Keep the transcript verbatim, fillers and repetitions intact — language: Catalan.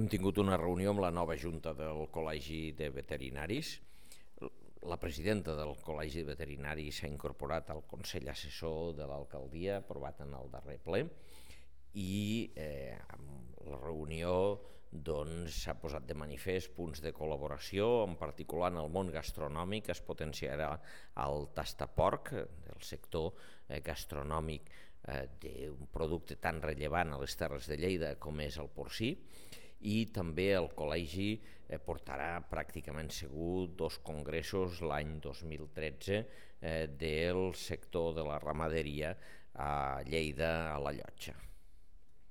Hem tingut una reunió amb la nova junta del Col·legi de Veterinaris. La presidenta del Col·legi de Veterinaris s'ha incorporat al Consell Assessor de l'Alcaldia, aprovat en el darrer ple, i eh, amb la reunió doncs, s'ha posat de manifest punts de col·laboració, en particular en el món gastronòmic. Es potenciarà el tastaporc, el sector eh, gastronòmic eh, d'un producte tan rellevant a les Terres de Lleida com és el porcí, i també el col·legi eh, portarà pràcticament segur dos congressos l'any dos mil tretze eh, del sector de la ramaderia a Lleida, a la Llotja.